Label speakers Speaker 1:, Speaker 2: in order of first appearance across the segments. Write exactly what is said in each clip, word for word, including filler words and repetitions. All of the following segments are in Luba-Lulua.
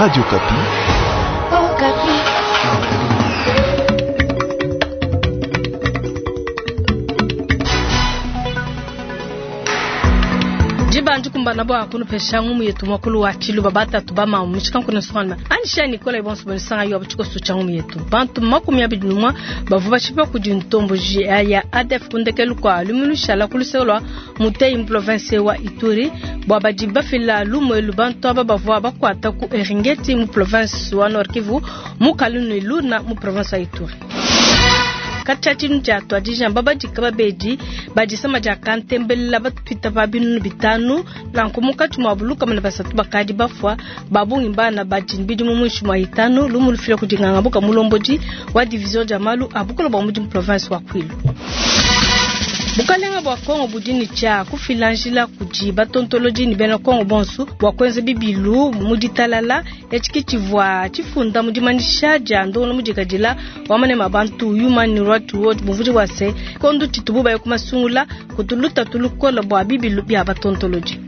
Speaker 1: Radio Okapi.
Speaker 2: Okapi.
Speaker 3: Dibanji kumbana bwa kunupesha ngumu yetu mwakulu wa chiluba batatu bama muchikankuna swana anisha Nicola ibonso bonisanga yo abuchiko sucha ngumu yetu bantu makumi abiri numwa bavu bashipa kudi ntombo ya A D F kundekelu kwa lumulu shala kuluselwa mutei mu province wa Ituri bwa badi bafila lumwelu bantu aba bavua bakwata ku Eringeti mu province wa Nord Kivu mu Kalunu Luna mu province wa Ituri. Katshia tshia twajijamba badika babedi badisama dia kantembelela batwita pa binunu bitanu nanku munkatshi mua buluka mana basatu bakadi bafua babungi bana badi bidimu muinshi mua itanu lumu lufila kudi nganga buka mulombodi wa division dia malu a bukolo bua mudimu province wa Kwilu. Bukalenga bua Kongo budini tshia kufila njila kudi batontolodi ni bena Kongo bonso bua kuenza bibilu mu ditalala etshi tshivua tshifunda mu dimanisha dia ndongo mudikadila wa manema bantu Human Rights Watch bumvudi bua se kondo tshitubu baye kumasungula kutuluta tulukola bua bibilu bia batontolodi.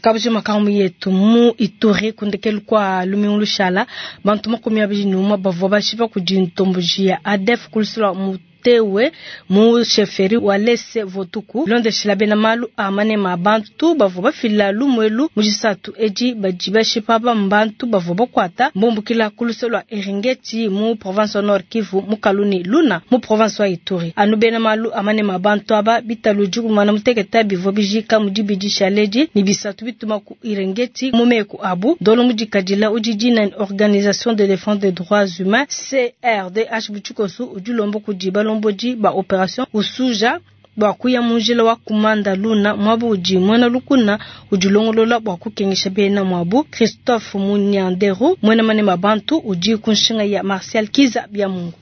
Speaker 3: Kabuji makamu yetu mu Ituri kundekelu kwa lumingu lushala bantu makumi abiri numa bavua bashipa kudi ntomboji ya A D F kulusula mutewe mu sheferi wa Lese Votuku londeshela bena malu a manema bantu bavua bafila lumwelu mu jisatu edi badi bashipa bantu bavua bakwata mbumbukila kulusela Eringeti mu province wa Nord Kivu mu Kaluni Luna mu province wa Ituri anu bena malu a manema bantu aba bitaluji kumana muteketa bivua bijika mu dibidi shaledi ni bisatu bituma ku Eringeti mu meku abu dolo mudikadila udi dina Organisation de défense des droits humains C R D H buchikosu udi kudi balombodi ba opération usuja bua kuya munjila wa kumanda Luna mwabu udi mwena lukuna udi longolola bua kukengesha bena mwabu Christophe Munyanderu mwena manema bantu udi kunshinga ya Martial Kiza bya Mungu.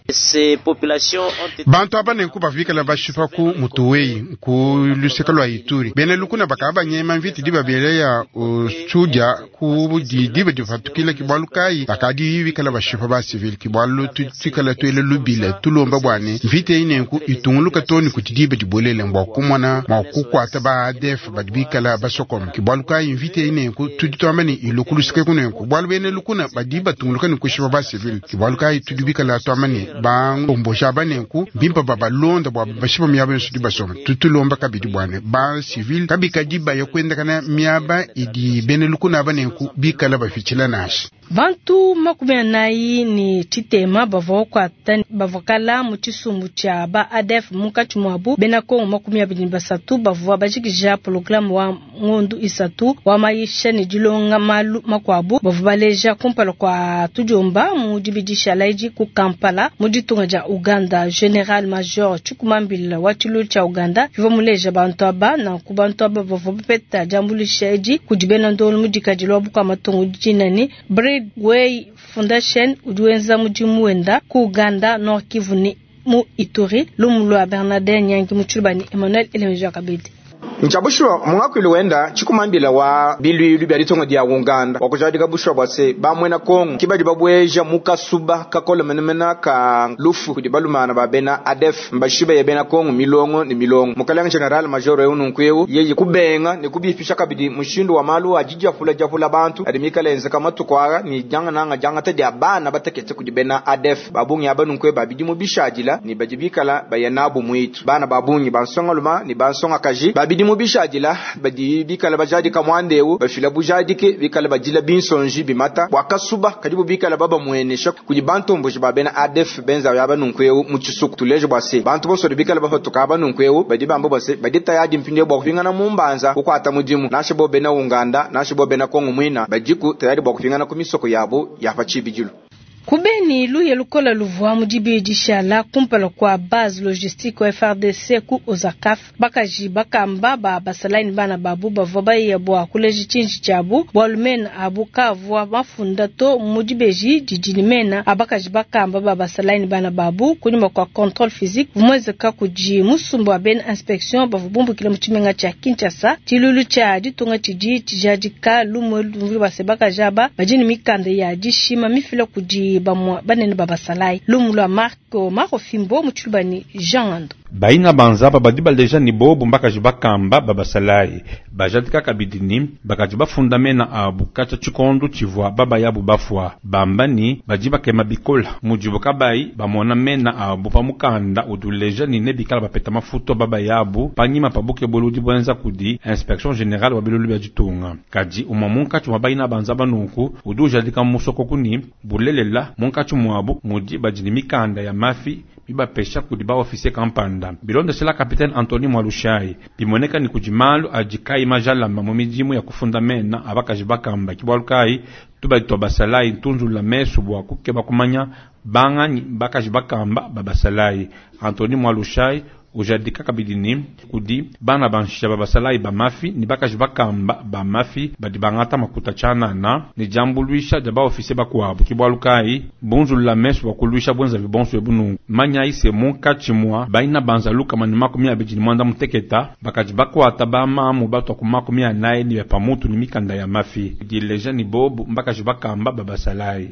Speaker 4: Bantu aba nenku bavikala bashipa ku mutuweyi ku luseka lwa Ituri bena lukuna bakaba banyema mviti diba bele ya usuja ku diba difatukila kibwalu kayi bakadi bikala bashipa ba civil kibwalu tutikala tuele lubila tulomba bwane mviti eyi nenku itunguluka toni kuti diba dibolele mbwa kumona mwa kukwata ba A D F badi bikala basokoma kibwalu kayi mviti eyi nenku tudi tuamba ni ilukulusike kunenku bwalu bene lukuna badi batunguluka ni kushipa ba civil kibwalu kayi tudi bikala tuamba ni bangombosha banenku bimpa babalonda bwa bashipa miaba yonso di basoma tutulomba kabidi bwane ba civil kabikadi baya kwendakana miaba idi bene lukuna banenku bikala bafichila nashi.
Speaker 3: Bantu makumi anayi ni tshitema bavua kuata bavua kala mu tshisumbu tshia ba A D F munkatshi muabu bena Kongo makumi abiri ne basatu bavua bajikija programu wa ngondu isatu wa mayisha ne dilonga malu makuabu bavua baleja kumpala kwa tudiomba mu dibidisha laidi ku Kampala mu ditunga dia Uganda. General Major Chikumambila wa tshilu tshia Uganda bivua muleja bantu aba nanku bantu aba bavua bapeta diambuluisha edi kudi bena ndongo mudikadilo wa bukua matungu dinani Bridgeway Foundation udi wenza mudimu wenda ku Uganda, Nord Kivu ni mu Ituri. Lumu lwa Bernardin Nyangi Mutshilubani Emmanuel Elemeja Kabedi.
Speaker 5: Nchabushuwa mungakwili wenda chikumambila wa bilwilu bya litongo dia Uganda wakujadika bushuwa bwase bamwena Kongo kibadi babweja mukasuba kakola menemena ka lufu kudi balumana ba bena A D F mbashiba ya bena Kongo milongo ni milongo. Mukalenge general major eu nunkueu yeye kubenga ne kubifisha kabidi mushindu wa malu ajijafula jafula bantu adi mikalenze kamatukwara ni janga nanga janga te dia bana batekete kudi bena A D F babungi aba nunkwe babidi mu bishadila ni bajibikala bayanabu mwitu bana babungi bansonga luma ni bansonga kaji babidi mu bishadila badi bikala bajadika mwandewu bafila bujadike bikala badila binsonji bimata bwakasuba kadi bikala baba mwenesha kudi bantomboji ba bena A D F benza ya banunkweu mu tshisuku tuleje bwase bantu bonso bikala bafatuka banunkweu badi bamba bwase badi tayadi mpinde bwa kupingana mu mbanza kukwata mudimu nashe bo bena Uganda nashe bo bena Kongo mwina badiku tayadi bwa kupingana ku misoko yabo ya pachibijilu.
Speaker 3: Kubeni luye lukola luvua mu dibidi shala kumpala kwa base logistique wa F R D C ku Ozakaf bakaji bakamba ba basalaini bana babu bavua bayiya bua kuleja tshinji tshiabu bualu mena abu kavua mafunda to mu dibeji didi ne mena abakaji bakamba ba basalaini bana babu kunyuma kwa contrôle physique vumwezeka kudi musumba wa bena inspection bavua bumbukila mu tshimenga tshia Kinshasa tshilulu tshia ditunga tshidi tshijadika lumwe lumvuli base bakaji aba badi ne mikanda ya dishima mifila kudi bamwa banene babasalai lumu lwa Marco Marco Fimbo mu tshilubani Jean Ando.
Speaker 1: Baina banzaba badi baleja ni bobu mbakaji bakamba babasalayi bajadika kabidi ni bakaji bafunda mena abu kacha chikondo chivwa baba yabu bafwa bamba ni badi bakema bikola mujibu kabayi bamona mena abu pamukanda uduleja ni nebikala bapeta mafuto baba yabu panyima pabuke boludi bwenza kudi inspection générale wa bilulu bya ditunga kadi umwa munkatshi mwa baina banzaba nunku udi ujadika musoko kuni bulelela munkatshi mwabu mudi badi ni mikanda ya mafi bibapesha kudi ba officier kampanda bilondeshela capitaine Anthony Mwalushai bimoneka ni kudi malu adi kai majalama mu midimu ya kufunda mena abakaji bakamba kibwalu kai tubadi twa basalayi ntunzula mesu bwa kukeba kumanya banganyi bakaji bakamba babasalayi Anthony Mwalushai ujadika kabidi ni kudi bana banshisha babasalayi bamafi ni bakaji bakamba bamafi badi bangata makuta tshanana ni jambuluisha dia baofise bakuabu kibwalu kai bunzulula mesu bwa kuluisha bwenza bibonso ebunungu manya ise munkatshi mwa baina banza lukama ni makumi abidi ni mwanda muteketa bakaji bakwata bamamu batwa ku makumi anayi ni pamutu ni mikanda ya mafi dileja ni bobu mbakaji bakamba babasalayi.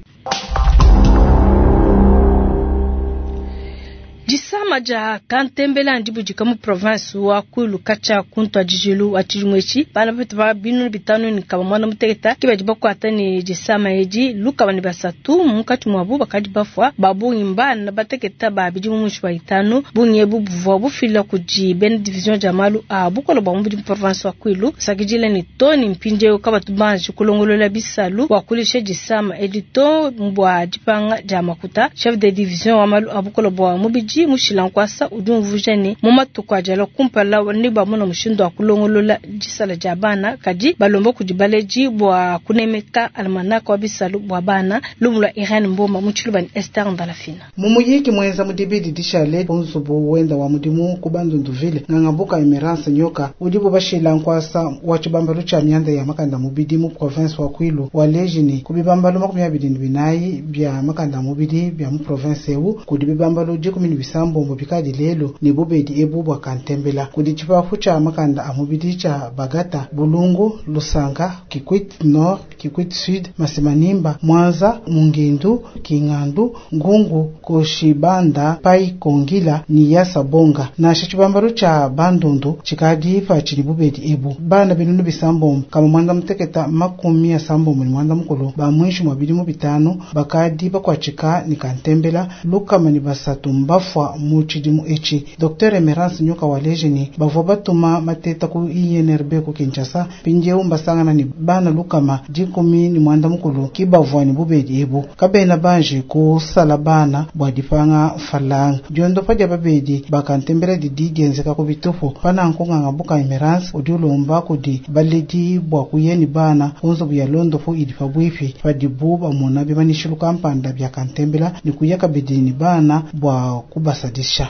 Speaker 3: Disama dia kantembela ndibudika mu province wa Kwilu kacha kuntu ajijilu wa tshijumwechi bana betu ba binu bitanu ni kaba mwana muteketa kibadi bakwata ni disama edi lukaba ni basatu munkatshi mwabu bakadi bafwa babungi mbana bateketa ba bidi mu mushi wa itanu bungi ebu buvua bufila kudi bena division dia malu a bukolo bwa mubidi mu province wa Kwilu sakidile ni toni mpindiewu kabatu banji kulongolola bisalu bwa kulisha disama edi to mbwa dipanga dia makuta chef de division wa malu a bukolo bwa mubidi mushilankwasa udi umvuja ne mu matuku ajala kumpala ne bamona mushindu wa kulongolola disala dia bana kadi balomba kudi baleji bwa kunemeka almanaka wa bisalu bwa bana lumu lwa Irene Mboma mu tshiluba ni Esther Ndalafina.
Speaker 6: Mumuyiki mwenza mudibidi dishale unzubu wenda wa mudimu ku Bandunduville ngangabuka Emerance Nyoka udibo bashilankwasa wa tshibambalu tshia mianda ya makanda mubidi mu province wa Kwilu wa lejini ku bibambalu makumi abidi ne binayi bya makanda mubidi bya mu province ewu kudi bibambalu dikumi ne bisambombo bikadi lelo ne bubedi ebu bwa kantembela kudi tshipapu tshia makanda a mubidi tshia Bagata, Bulungu, Lusanga, Kikwit Nord, Kikwit Sud, Masimanimba, Mwanza, Mungindu, Kingandu, Ngungu, Koshibanda, Pai Kongila ni Yasa Bonga. Na tshibambalu tshia Bandundu tshikadi pa tshidi bubedi ebu bana binunu bisambombo kama mwanda muteketa makumi asambombo ni mwanda mukulu ba mwishi mwa bidimu bitanu bakadi bakwatshika ni kantembela lukama ni basatu mbafwa mu tshidimu etshi. Docteur Emerance Nyoka wa lejini bavua batuma mateta ku I N R B ku Kinshasa pindieu mbasangana ni bana lukama dikumi ni mwanda mukulu kibavua ni bubedi ebu kabena banje kusala bana bwa dipanga falanga diondo padia babedi bakantembela didi dienzeka ku bitupu pananku ngangabuka Emerance udi ulomba kudi baledi bwa kuyeni bana kunzubu ya londopu idi pabwipi padibu bamona bimanishilu kampanda bya kantembela ni kuya kabidi ni bana bwa kubasadisha.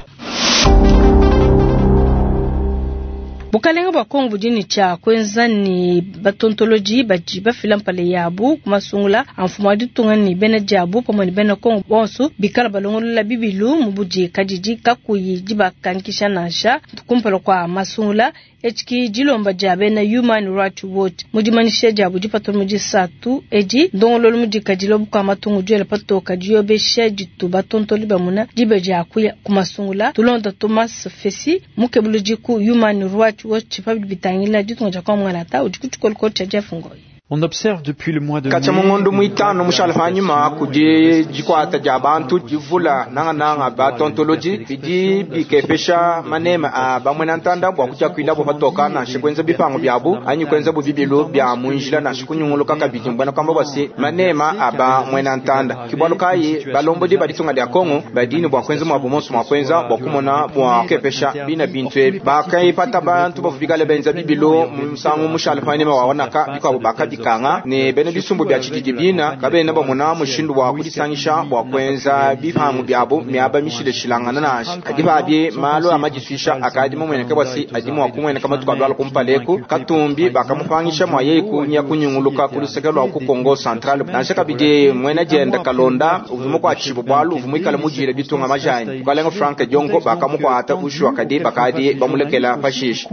Speaker 3: Bukalenga bwa Kongo budini cha kwenza ni batontoloji badi bafila mpale yabu kumasungula amfumo wa ditunga ni bena diabu pamwe ni bena Kongo bonso bikala balongolola bibilu mubudi kadidi kakuyi dibakankisha nansha kumpala kwa masungula etshiki dilomba dia bena Human Rights Watch mudimanisha diabu dipatula mu disatu edi ndongololo mudikadila bukua matungu diela patoka diobesha ditu batontoli bamuna dibe dia kuya kumasungula tulonda Thomas Fesi mukebuludi ku Human Rights Watch pabidi bitangila ditunga dia kwa mwanata udi kutshikolokolo tshia Jeff Ngoyi.
Speaker 7: On observe depuis le mois de
Speaker 5: kacha mungondo mwitano mushala fanyuma kudi jikwata ja bantu jivula nanga nanga batontoloji bidi bikepesha manema a bamwena ntanda bwa kuja kwila bo patoka na shikwenza bipango byabu anyi kwenza bu bibilu bya munjila na shikunyunguluka kabidi mbona kwamba basi manema aba mwena ntanda kibwalu kai balombodi baditunga lya Kongo badini bwa kwenza mwa bomonso mwa kwenza bwa kumona bwa kepesha bina bintu ebi bakaipata bantu bavubikale benza bibilu musangu mushala fanyuma waonaka bikabo bakabi kanga ne bene bisumbu bya tshididi bina kabena bamona mushindu wa kudisangisha bwa kwenza bipangu byabo myaba mishileshilangana nasha kadi babye malo amajiswisha akadi mumweneka bwasi adimu wakumweneka matuku adwala kumpaleku katumbi bakamupangisha mwa yeyi kunya kunyunguluka kuluseke lwa ku Kongo Central nasha kabidi mwena jenda kalonda uvumu kwa tshibu bwalu uvumu ikala mujile bitunga majani bukalenga Frank Diongo bakamukwata ushwa kadi bakadi bamulekela pashisha.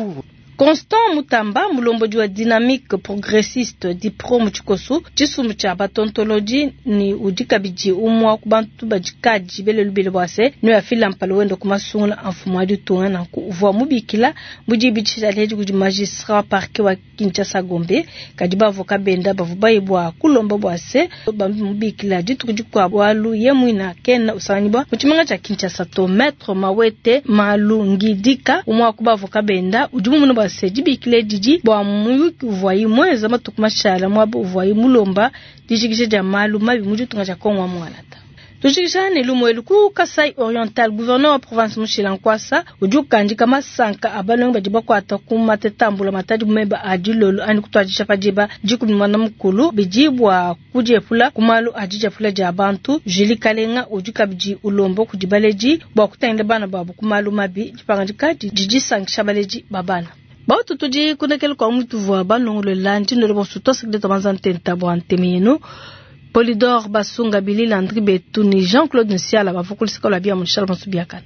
Speaker 3: Constant Mutamba, mulombodi wa Dynamique Progressiste Dipro mu tshikosu, tshisumbu tshia batontolodi ni udi kabidi umwa ku bantu badikadi belelubile bua se ne afila mpala wenda ku masungula a mfumu wa ditunga nanku uvua mubikila mu dibidisha ledi kudi magistrat parquet wa Kinshasa Gombe kadi bavoka benda bavua baye bua kulomba bua se bamubikila dituku dikuabu bualu ye muina kena usanganyibwa mu tshimenga tshia Kinshasa to. Maître Mawete Malungidika umwa ku bavoka benda udi mumune bua se dibikile didi bua muyuki uvuayi muenza matuku mashala muaba uvuayi mulomba dijikija dia malu mabi mu ditunga dia Kongo wa Mwanata. Tujikija ne lumuelu ku Kasai Oriental, gouverneur wa province Mushila Nkwasa udi ukandika masanka a balongi badi bakwata ku matetambula matadi meba a dilolo ani kutwadisha padiba dikumi mwana mukulu bidi bua kudiepula ku malu a didiepula dia bantu. Julie Kalenga udi kabidi ulomba kudi baledi bua kutangila bana babu ku malu mabi dipangadika didisankisha baledi ba bana. Bautu tudi kunekele kwa mutu vua banongolola ndinolo bonso tosekede tobanza ntenta bua nteme yenu. Polydor Basunga Billy Landry Betou ni Jean-Claude Nsiala bavukulisika lwa bia munshala bonso biakana.